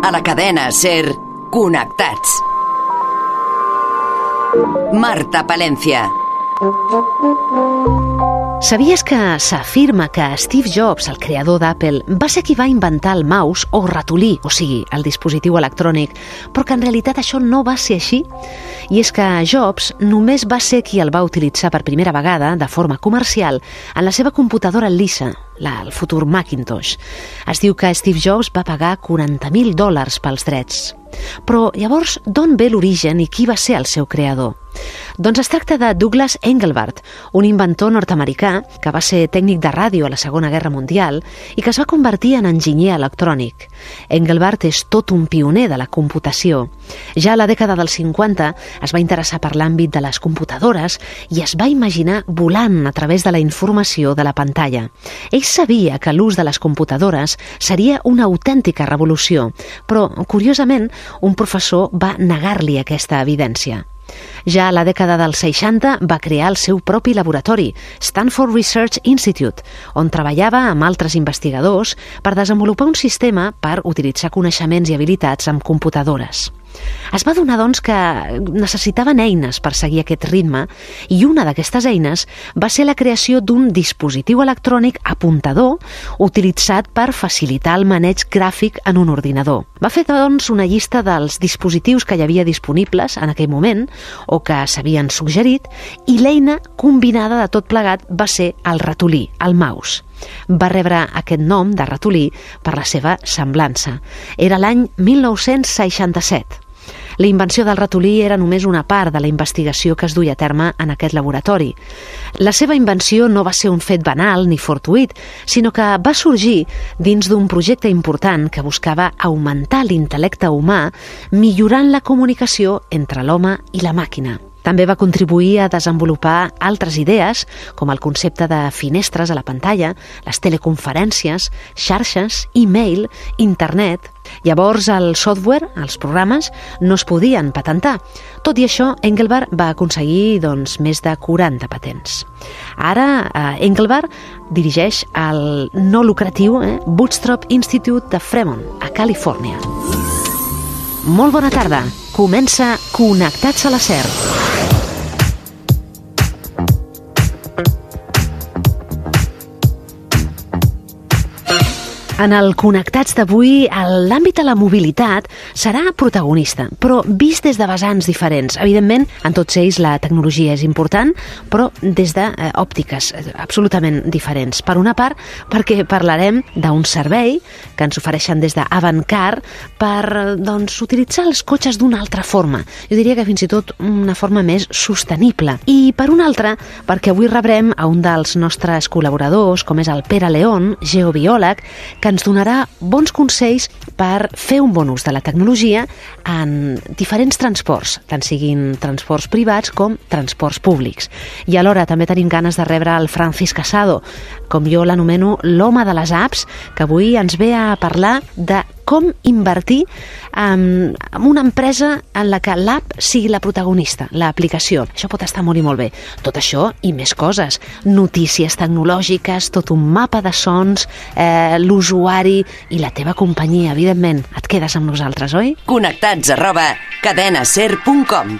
A la cadena SER, Connectats. Marta Palencia. Sabies que s'afirma que Steve Jobs, el creador d'Apple, va ser qui va inventar el mouse o ratolí, o sigui, el dispositiu electrònic, però que en realitat això no va ser així? I és que Jobs només va ser qui el va utilitzar per primera vegada, de forma comercial, en la seva computadora Lisa, el futur Macintosh. Es diu que Steve Jobs va pagar $40.000 pels drets. Però llavors, d'on ve l'origen i qui va ser el seu creador? Doncs es tracta de Douglas Engelbart, un inventor nord-americà que va ser tècnic de ràdio a la Segona Guerra Mundial i que es va convertir en enginyer electrònic. Engelbart és tot un pioner de la computació. Ja a la dècada dels 50 es va interessar per l'àmbit de les computadores i es va imaginar volant a través de la informació de la pantalla. Ell sabia que l'ús de les computadores seria una autèntica revolució, però, curiosament, un professor va negar-li aquesta evidència. Ja a la dècada dels 60 va crear el seu propi laboratori, Stanford Research Institute, on treballava amb altres investigadors per desenvolupar un sistema per utilitzar coneixements i habilitats amb computadores. Es va adonar, doncs, que necessitaven eines per seguir aquest ritme i una d'aquestes eines va ser la creació d'un dispositiu electrònic apuntador utilitzat per facilitar el maneig gràfic en un ordinador. Va fer, doncs, una llista dels dispositius que hi havia disponibles en aquell moment o que s'havien suggerit i l'eina combinada de tot plegat va ser el ratolí, el mouse. Va rebre aquest nom de ratolí per la seva semblança. Era l'any 1967. La invenció del ratolí era només una part de la investigació que es duia a terme en aquest laboratori. La seva invenció no va ser un fet banal ni fortuït, sinó que va sorgir dins d'un projecte important que buscava augmentar l'intel·lecte humà millorant la comunicació entre l'home i la màquina. També va contribuir a desenvolupar altres idees, com el concepte de finestres a la pantalla, les teleconferències, xarxes, e-mail, internet. Llavors, el software, els programes, no es podien patentar. Tot i això, Engelbart va aconseguir més de 40 patents. Ara, Engelbart dirigeix el no lucratiu Bootstrap Institute de Fremont, a Califòrnia. Molt bona tarda. Comença Connectats a la SER. En el Connectats d'avui, l'àmbit de la mobilitat serà protagonista, però vist des de vessants diferents. Evidentment, en tots ells la tecnologia és important, però des d'òptiques absolutament diferents. Per una part, perquè parlarem d'un servei que ens ofereixen des d'Avantcar per utilitzar els cotxes d'una altra forma. Jo diria que fins i tot una forma més sostenible. I per una altra, perquè avui rebrem a un dels nostres col·laboradors, com és el Pere León, geobiòleg, que ens donarà bons consells per fer un bon ús de la tecnologia en diferents transports, tant siguin transports privats com transports públics. I alhora també tenim ganes de rebre el Francisc Casado, com jo l'anomeno l'home de les apps, que avui ens ve a parlar de com invertir en una empresa en la que l'app sigui la protagonista, l'aplicació. Això pot estar molt i molt bé. Tot això i més coses. Notícies tecnològiques, tot un mapa de sons, l'usuari i la teva companyia, evidentment. Et quedes amb nosaltres, oi? Connectats @cadenaser.com.